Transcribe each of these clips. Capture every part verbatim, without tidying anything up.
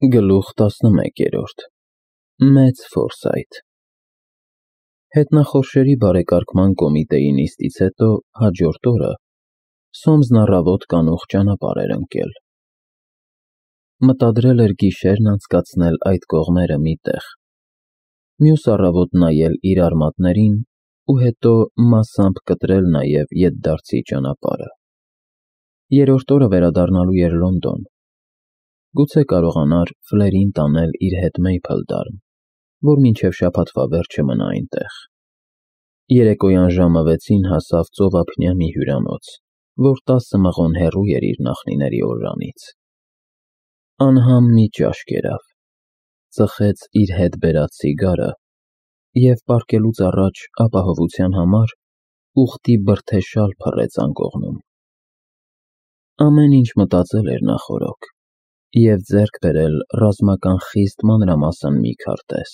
Գլուխ տասնմեկերորդ Մեծ Ֆորսայթ Հետնախորշերի բարեկարգման կոմիտեի նիստից հետո հաջորդ օրը Սոմսն առավոտ կանուխ ճանապարհ էր ընկել։ Մտադրել էր գիշերն անցկացնել այդ կողմերը մի տեղ, մյուս առավոտ նայել իր արմատներին ու հետո մասամբ կտրել նաև ետդարձի ճանապարհը։ Երրորդ օրը վերադառնալու էր Լոնդոն, գուցե կարողանար Ֆլերին տանել իր հետ Մեյփլդարմ, որ մինչև շաբաթվա վերջը մնա այնտեղ։ Երեկոյան ժամը վեցին հասավ ծովափնյա մի հյուրանոց, որ տասը մղոն հեռու էր իր նախնիների օրրանից։ Անհամ մի ճաշ կերավ, ծխեց իր հետ բերած սիգարը և պառկելուց առաջ ապահովության համար ուղտի բրդե շալ փռեց անկողնում։ Ամեն ինչ մտածել էր նախօրոք և ձեռք բերել ռազմական խիստ մանրամասն մի քարտեզ։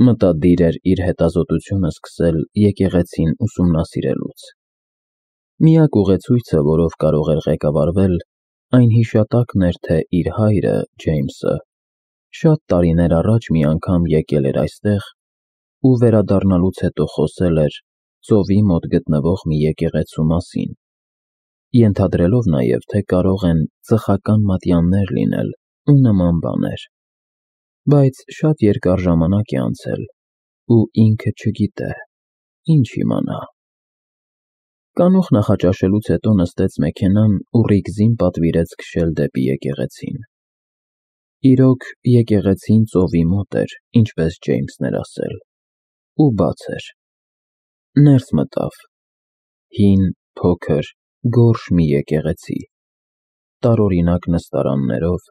Մտադիր էր իր հետազոտությունը սկսել եկեղեցին ուսումնասիրելուց։ Միակ ուղեցույցը, որով կարող էր ղեկավարվել, այն հիշատակն էր, թե իր հայրը՝ Ջեյմսը, շատ տարիներ առաջ մի անգամ եկել էր այստեղ ու վերադառնալուց հետո խոսել էր ծովի մոտ գտնվող մի եկեղեցու մասին, ենթադրելով նաև, թե կարող են ծխական մատյաններ լինել ու նման բաներ, բայց շատ երկար ժամանակ է անցել, ու ինքը չգիտե, ինչ իմանա։ Կանուխ նախաճաշելուց հետո նստեց մեքենան ու ռիգզին պատվիրեց քշել դեպի եկեղեցին։ Իրոք, եկեղեցին ծովի մոտ էր, ինչպես Ջեյմսն էր ասել, ու բաց էր։ Ներս մտավ։ Հին, փոքր, գորշ մի եկեղեցի, տարօրինակ նստարաններով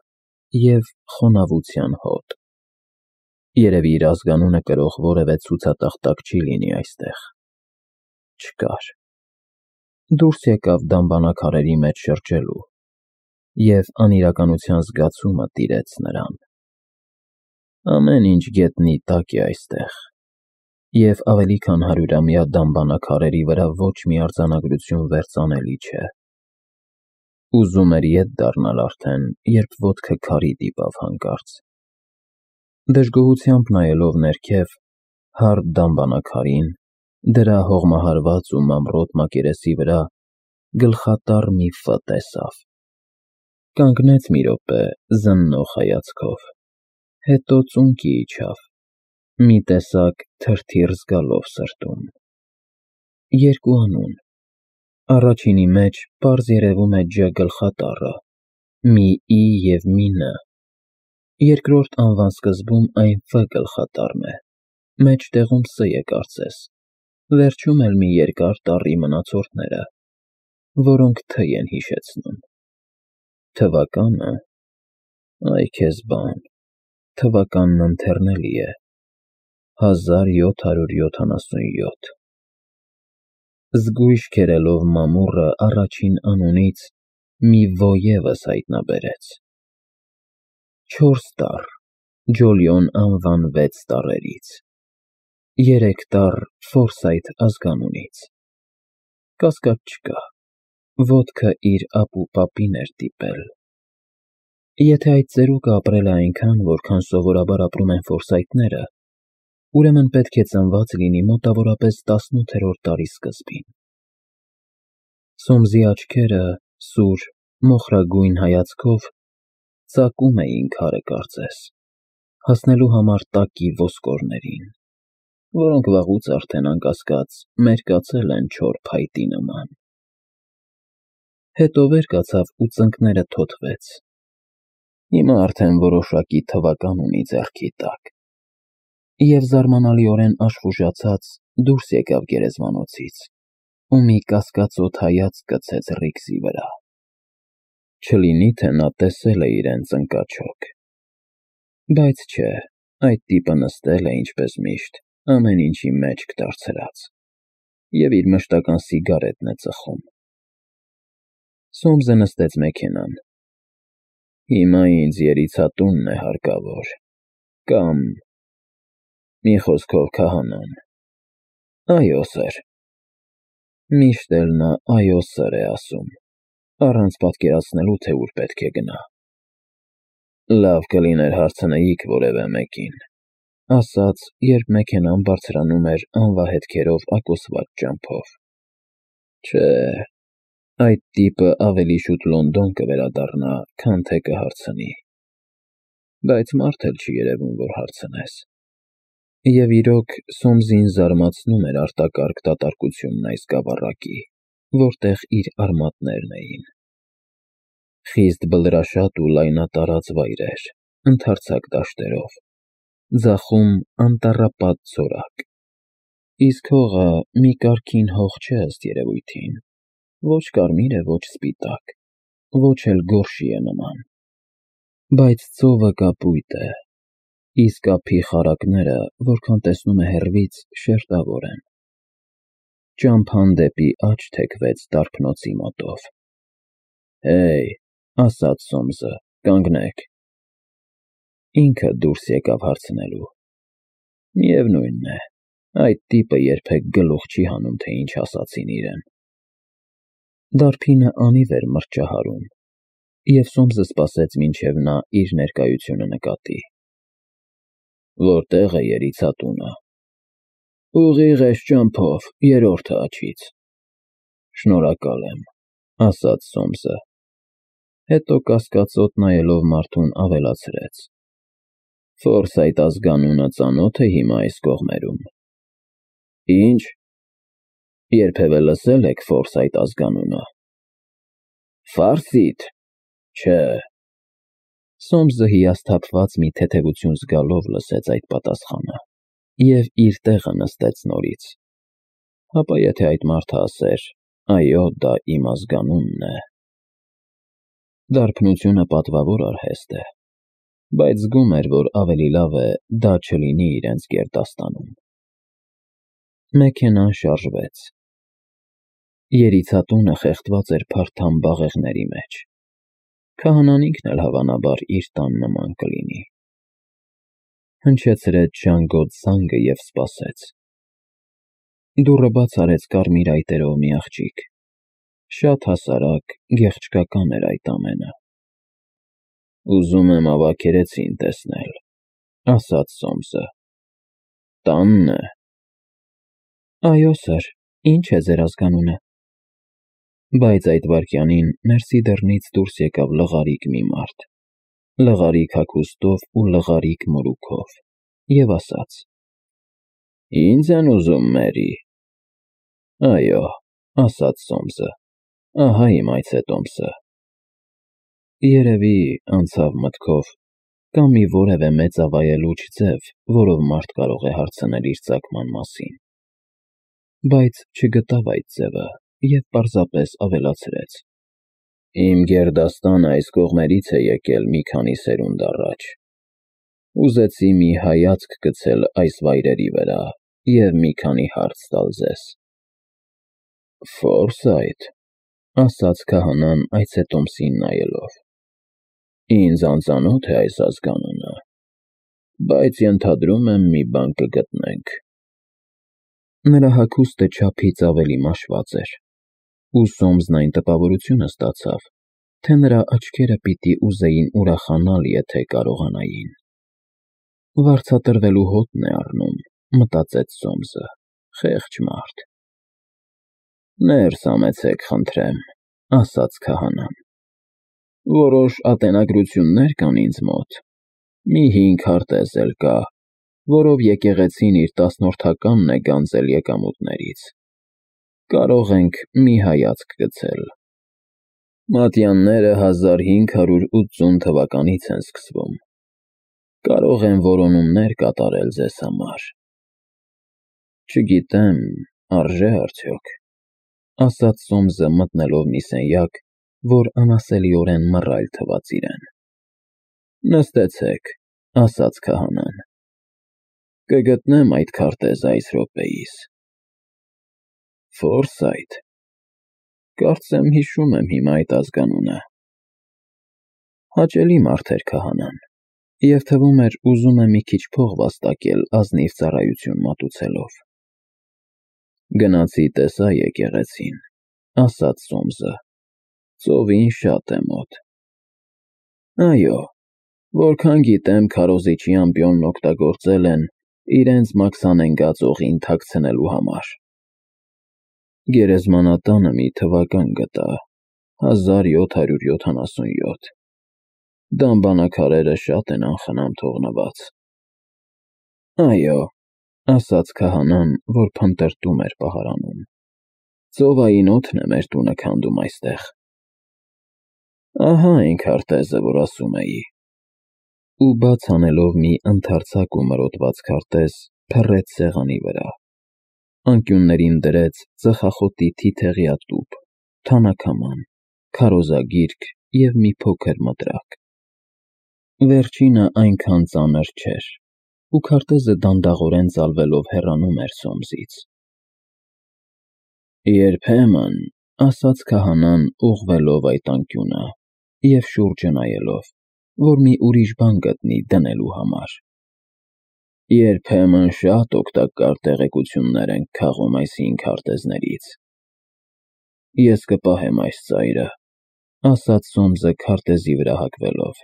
և խոնավության հոտ։ Երևի իր ազգանունը կրող որևէ ցուցատախտակ չի լինի այստեղ։ Չկար։ Դուրս եկավ դամբարանաքարերի մեջ շրջելու, և անիրականության զգացումը տիրեց նրան։ Ամեն ինչ գետնի տակ է այստեղ, և ավելի քան հարյուրամյա դամբարանաքարերի վրա ոչ մի արձանագրություն վերծանելի չէ։ Ուզում էր ետ դառնալ արդեն, երբ ոտքը քարի դիպավ հանկարծ։ Դժգոհությամբ նայելով ներքև, հարթ դամբարանաքարին, դրա հողմահարված ու մանրոտ մակերեսի վրա գլխատառ մի Ֆ տեսավ։ Կանգնեց մի րոպե զննող հայացքով, հետո ծունկի իջավ, մի տեսակ թրթիռ զգալով սրտում։ Երկու անուն։ Առաջինի մեջ պարզ երևում է Ջ գլխատառը, մի I և մի Ն, երկրորդ անվան սկզբում այն Ֆ գլխատառն է, մեջտեղում Ս է կարծես, վերջում էլ մի երկար տառի մնացորդները, որոնք Თ են հիշեցնում։ Թվականը… Այ քեզ բան, թվականն ընթեռնելի է, հազար յոթ հարյուր յոթանասունյոթ։ Զգույշ քերելով մամուռը առաջին անունից մի Ո ևս հայտնաբերեց։ Չորս տառ, Ջոլիոն անվան վեց տառերից, երեք տառ Ֆորսայթ ազգանունից։ Կասկած չկա, ոտքը իր ապուպապին էր դիպել։ Եթե այդ ծերուկը ապրել է այնքան, որքան սովորաբար ապրում են ֆորսայթները, ուրեմն պետք է ծնված լինի մոտավորապես տասնութերորդ դարի սկզբին։ Սոմսի աչքերը, սուր, մոխրագույն հայացքով, ծակում էին քարը կարծես, հասնելու համար տակի ոսկորներին, որոնք վաղուց արդեն, անկասկած, մերկացել են չոր փայտի նման։ Հետո վեր կացավ ու ծնկները թոթվեց։ Հիմա արդեն որոշակի թվական ունի ձեռքի տակ։ Եվ զարմանալիորեն աշխուժացած դուրս եկավ գերեզմանոցից ու մի կասկածոտ հայացք գցեց ռիգզի վրա։ Չլինի թե նա տեսել է իրեն ծնկաչոք։ Բայց չէ, այդ տիպը նստել է ինչպես միշտ, ամեն ինչի մեջք դարձրած, և իր մշտական սիգարետն է ծխում։ Սոմսը նստեց մեքենան։ Հիմա ինձ երիցատունն է հարկավոր, կամ, մի խոսքով, քահանան։ Այո, սըր։ Միշտ էլ նա այո, սըր է ասում, առանց պատկերացնելու, թե ուր պետք է գնա։ Լավ կլիներ հարցնեիք որևէ մեկին, ասաց, երբ մեքենան բարձրանում էր անվահետքերով ակոսված ճամփով։ Չէ, այդ տիպը ավելի շուտ Լոնդոն կվերադառնա, քան թե կհարցնի։ Բայց մարդ էլ չի երևում, որ հարցնես։ Եվ իրոք Սոմսին զարմացնում էր արտակարգ դատարկությունն այս գավառակի, որտեղ իր արմատներն էին։ Խիստ բլրաշատ ու լայնատարած վայրեր, ընդարձակ դաշտերով, ձախում անտառապատ ցորակ։ Իսկ հողը մի կարգին հող չէ ըստ երևույթին, ոչ կարմիր է, ոչ սպիտակ, ոչ էլ գորշի է նման։ Բայց ծովը կապույտ է, իսկ ափի խարակները, որքան տեսնում է հեռվից, շերտավոր են։ Ճամփան դեպի աջ թեքվեց դարբնոցի մոտով։ Հեյ, ասաց Սոմսը, կանգնեք։ Ինքը դուրս եկավ հարցնելու։ Միևնույն է, այդ տիպը երբեք գլուխ չի հանում, թե ինչ ասացին իրեն։ Դարբինը անիվ էր մրջահարում, և Սոմսը սպասեց, մինչև նա իր ներկայությունը նկատի։ Որտե՞ղ է երիցատունը։ Ուղիղ էս ճամփով, երրորդը աջից։ Շնորհակալ եմ, ասաց Սոմսը, հետո կասկածոտ նայելով մարդուն ավելացրեց. Ֆորսայթ ազգանունը ծանոթ է հիմա այս կողմերում։ Ինչ։ Երբևէ լսել եք Ֆորսայթ ազգանունը։ Ֆարսիթ։ Չէ։ Սոմսը հիասթափված մի թեթևություն զգալով լսեց այդ պատասխանը և իր տեղը նստեց նորից։ Հապա եթե այդ մարդը ասեր. այո, դա իմ ազգանունն է։ Դարբնությունը պատվավոր արհեստ է, բայց զգում էր, որ ավելի լավ է դա չլինի իրենց գերդաստանում։ Մեքենան շարժվեց։ Երիցատունը խեղդված էր փարթամ բաղեղների մեջ։ Քահանան ինքն էլ հավանաբար իր տան նման կլինի։ Հնչեցրեց ժանգոտ զանգը և սպասեց։ Դուռը բաց արեց կարմիր այտերով մի աղջիկ։ Շատ հասարակ, գեղեցկական էր այդ ամենը։ Ուզում եմ ավագերեցին տեսնել, ասաց Սոմսը։ Տանն է։ Այո, սըր, ինչ է ձեր ազգանունը։ Բայց այդ վայրկյանին ներսի դռնից դուրս եկավ լղարիկ մի մարդ, լղարիկ հագուստով ու լղարիկ մորուքով, և ասաց. Ինձ են ուզում, Մերի։ Այո, ասաց Սոմսը, ահա իմ այցետոմսը։ Երևի, անցավ մտքով, կա մի որևէ մեծավայելուչ ձև, որով մարդ կարող է հարցնել իր ծագման մասին։ Բայց չգտավ այդ ձևը և պարզապես ավելացրեց. Իմ գերդաստանը այս կողմերից է եկել մի քանի սերունդ առաջ։ Ուզեցի մի հայացք գցել այս վայրերի վրա և մի քանի հարց տալ ձեզ։ Ֆորսայթ, ասաց քահանան այցետոմսին նայելով։ Ինձ անծանոթ է այս ազգանունը, բայց ենթադրում եմ մի բան կգտնենք։ Նրա հագուստը չափից ավելի մաշված էր, ու Սոմսն այն տպավորությունը ստացավ, թե նրա աչքերը պիտի ուզեին ուրախանալ, եթե կարողանային։ Վարձատրվելու հոտն է առնում, մտածեց Սոմսը, խեղճ մարդ։ Ներս համեցեք, խնդրեմ, ասաց քահանան։ Որոշ ատենագրություններ կան ինձ մոտ, մի հինգ քարտեզ էլ կա, որով եկեղեցին իր տասնորդականն է գանձել եկամուտներից։ Կարող ենք մի հայացք գցել։ Մատյանները հազար հինգ հարյուր ութսուն թվականից են սկսվում։ Կարող են որոնումներ կատարել ձեզ համար։ Չգիտեմ, արժե՞ արդյոք, ասաց Սոմսը մտնելով մի սենյակ, որ անասելիորեն մռայլ թվաց իրեն։ Նստեցեք, ասաց քահանան։ Կգտնեմ այդ քարտեզը այս րոպեիս։ Ֆորսայթ, կարծեմ հիշում եմ հիմա այդ ազգանունը։ Հաճելի մարդ էր քահանան, և թվում էր ուզում է մի քիչ փող վաստակել ազնիվ ծառայություն մատուցելով։ Գնացի տեսա եկեղեցին, ասաց Սոմսը, ծովին շատ է մոտ։ Այո, Որքան գիտեմ, քարոզիչի ամպիոնն օգտագործել են իրենց մաքսանենգած օղին թաքցնելու համար։ Գերեզմանատանը մի թվական գտա, հազար յոթ հարյուր յոթանասունյոթ։ Դամբանակարերը շատ են անխնամ թողնված։ Այո, ասաց քահանան, որ փնտրտում էր պահարանում։ Ծովային օդն է մեր տունը քանդում այստեղ։ Ահա այն քարտեզը, որ ասում էի։ Ու բաց անելով մի ընդարձակ ու մրոտված քարտեզ, փռեց սեղանի վրա։ Անկյուններին դրեց ծխախոտի թիթեղյա տուփ, թանաքաման, քարոզագիրք և մի փոքր մտրակ։ Վերջինը այնքան ծանր չէր, ու քարտեզը դանդաղորեն ծալվելով հեռանում էր Սոմսից։ Երբեմն, ասաց քահանան, ուղղվելով այդ անկյունը և շուրջը նայելով, որ մի ուրիշ բան գտնի դնելու համար։ Երբեմն շատ օգտակար տեղեկություններ ենք քաղում այս հին քարտեզներից։ Ես կպահեմ այս ծայրը, ասաց Սոմսը քարտեզի վրա հագվելով։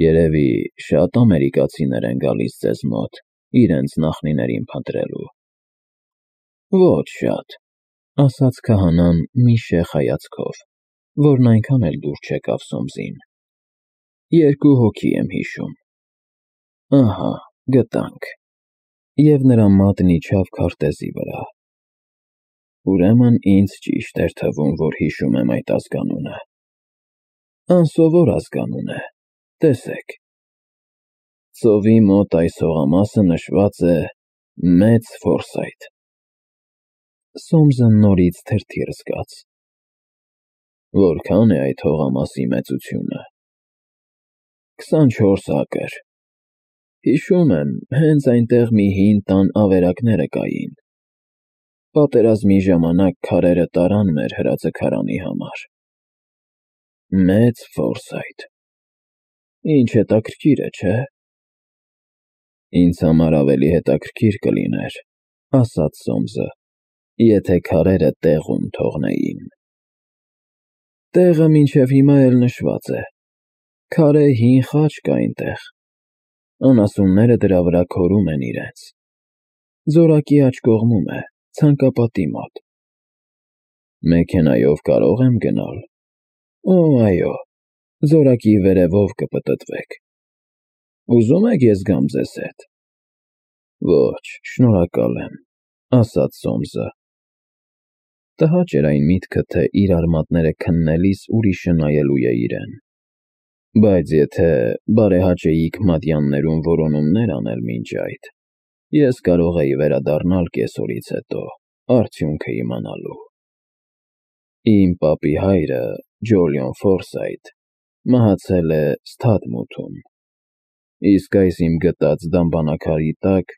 Երևի շատ ամերիկացիներ են գալիս ձեզ մոտ իրենց նախնիներին փնտրելու։ Ոչ շատ, ասաց քահանան մի շեխ հայացքով, որն այնքան էլ դուր չեկավ Սոմսին։ Երկու հոգի եմ հիշում։ Ահա, գտանք։ Եվ նրա մատն իջավ քարտեզի վրա։ Ուրեմն ինձ ճիշտ էր թվում, որ հիշում եմ այդ ազգանունը։ Անսովոր ազգանուն է, տեսեք։ Ծովի մոտ այս հողամասը նշված է Մեծ Ֆորսայթ։ Սոմսը նորից թրթիռ զգաց։ Որքան է այդ հողամասի մեծությունը։ Քսանչորս ակր։ Հիշում եմ, հենց այնտեղ մի հին տան ավերակները կային։ Պատերազմի ժամանակ քարերը տարան մեր հրաձգարանի համար։ Մեծ Ֆորսայթ։ Ինչ հետաքրքիր է, չէ՞։ Ինձ համար ավելի հետաքրքիր կլիներ, ասաց Սոմսը, եթե քարերը տեղում թողնեին։ Տեղը մինչև հիմա էլ նշված է։ Քարե հին խաչ կա այնտեղ։ Անասունները դրա վրա քորում են իրենց։ Ձորակի աջ կողմում է, ցանկապատի մոտ։ Մեքենայով կարող եմ գնալ։ Օ, այո, ձորակի վերևով կպտտվեք։ Ուզում եք ես գամ ձեզ հետ։ Ոչ, շնորհակալ եմ, ասաց Սոմսը։ Տհաճ էր այն միտքը, թե իր արմատները քննելիս ուրիշը նայելու է իրեն։ Բայց եթե բարեհաճեիք մատյաններում որոնումներ անել մինչ այդ, ես կարող էի վերադառնալ կեսօրից հետո, արդյունքը իմանալու։ Իմ պապի հայրը, Ջոլիոն Ֆորսայթ, մահացել է Սթաթմութում, իսկ այս իմ գտած դամբանակարի տակ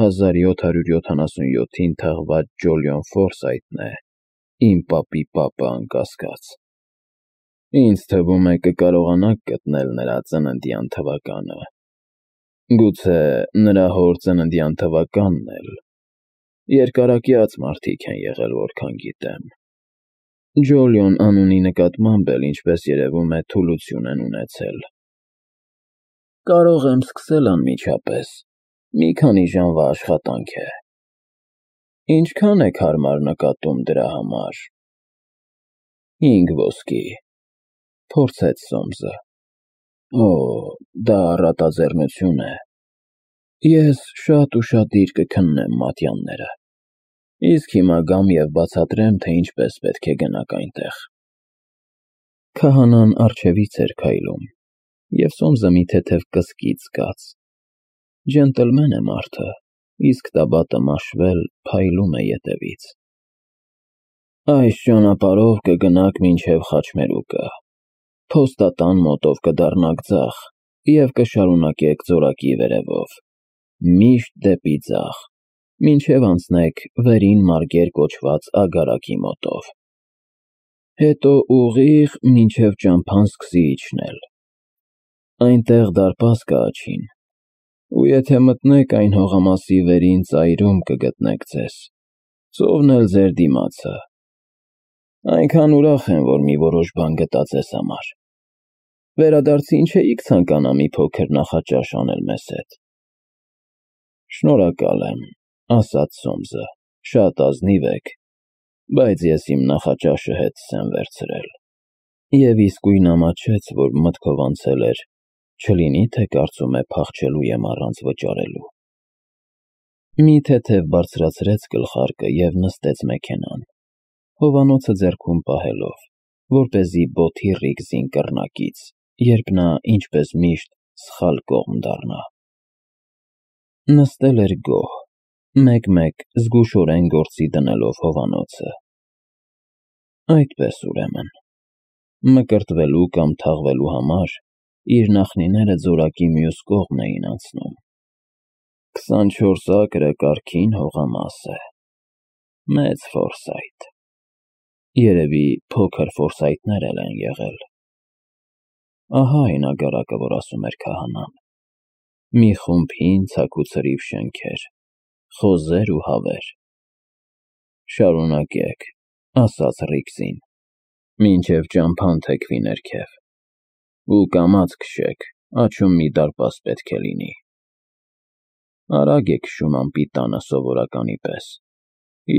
հազար յոթ հարյուր յոթանասունյոթին թաղված Ջոլիոն Ֆորսայթն է, իմ պապի պապը անկասկած։ Ինձ թվում է կկարողանաք գտնել նրա ծննդյան թվականը։ Գուցե նրա հոր ծննդյան թվականն էլ։ Երկարակյաց մարդիկ են եղել, որքան գիտեմ։ Ջոլիոն անունի նկատմամբ էլ, ինչպես երևում է, թուլություն են ունեցել։ Կարող եմ սկսել անմիջապես, մի քանի ժամվա աշխատանք է։ Ինչքան եք հարմար նկատում դրա համար։ Հինգ ոսկի, փորձեց Սոմսը։ Օ, դա առատաձեռնություն է։ Ես շատ ուշադիր կքննեմ մատյանները։ Իսկ հիմա գամ և բացատրեմ, թե ինչպես պետք է գնաք այնտեղ։ Քահանան առջևից էր քայլում, և Սոմսը մի թեթև կսկիծ զգաց։ Ջենտլմեն է մարդը, իսկ տաբատը մաշվել փայլում է ետևից։ Այս ճանապարհով կգնաք մինչև Խաչմերուկը, փոստատան մոտով կդառնաք ձախ և կշարունակեք ձորակի վերևով, միշտ դեպի ձախ, մինչև անցնեք Վերին Մարգեր կոչված ագարակի մոտով։ Հետո ուղիղ մինչև ճամփան սկսի իջնել։ Այնտեղ դարպաս կա աջին, ու եթե մտնեք այն հողամասի վերին ծայրում կգտնեք ձեզ, ծովն էլ ձեր դիմացը։ Այնքան ուրախ եմ, որ մի որոշ բան գտա ձեզ համար։ Վերադարձին չէիք ցանկանա մի փոքր նախաճաշ անել մեզ հետ։ Շնորհակալ եմ, ասաց Սոմսը, շատ ազնիվ եք, բայց ես իմ նախաճաշը հետս եմ վերցրել։ Եվ իսկույն ամաչեց, որ մտքով անցել էր, չլինի թե կարծում է փախչելու եմ առանց վճարելու։ Մի թեթև բարձրացրեց գլխարկը և նստեց մեքենան, հովանոցը ձեռքում պահելով, որպեսզի բոթի ռիգզին կռնակից, երբ նա, ինչպես միշտ, սխալ կողմ դառնա։ Նստել էր գոհ, մեկ-մեկ զգուշորեն գործի դնելով հովանոցը։ Այդպես ուրեմն, մկրտվելու կամ թաղվելու համար իր նախնիները ձորակի մյուս կողմն էին անցնում։ Քսանչորս ակրը կարգին հողամաս է։ Մեծ ֆորսայթ։ Երևի փոքր ֆորսայթներ էլ են եղել։ Ահա այն ագարակը, որ ասում էր քահանան։ Մի խումբ հին ցաքուցրիվ շենքեր, խոզեր ու հավեր։ Շարունակեք, ասաց Ռիգզին, մինչև ճամփան թեքվի ներքև, ու կամաց քշեք, աջում մի դարպաս պետք է լինի։ Արագ է քշում անպիտանը սովորականի պես,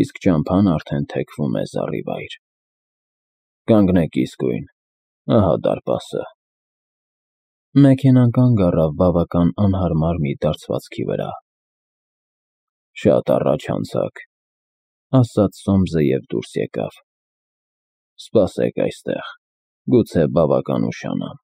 իսկ ճամփան արդեն թեքվում է զառիվայր։ Կանգնեք իսկույն, ահա դարպասը։ Մեքենան կանգ առավ բավական անհարմար մի դարձվածքի վրա։ Շատ առաջ անցաք, ասաց Սոմսը և դուրս եկավ։ Սպասեք այստեղ, գուցե բավական ուշանամ։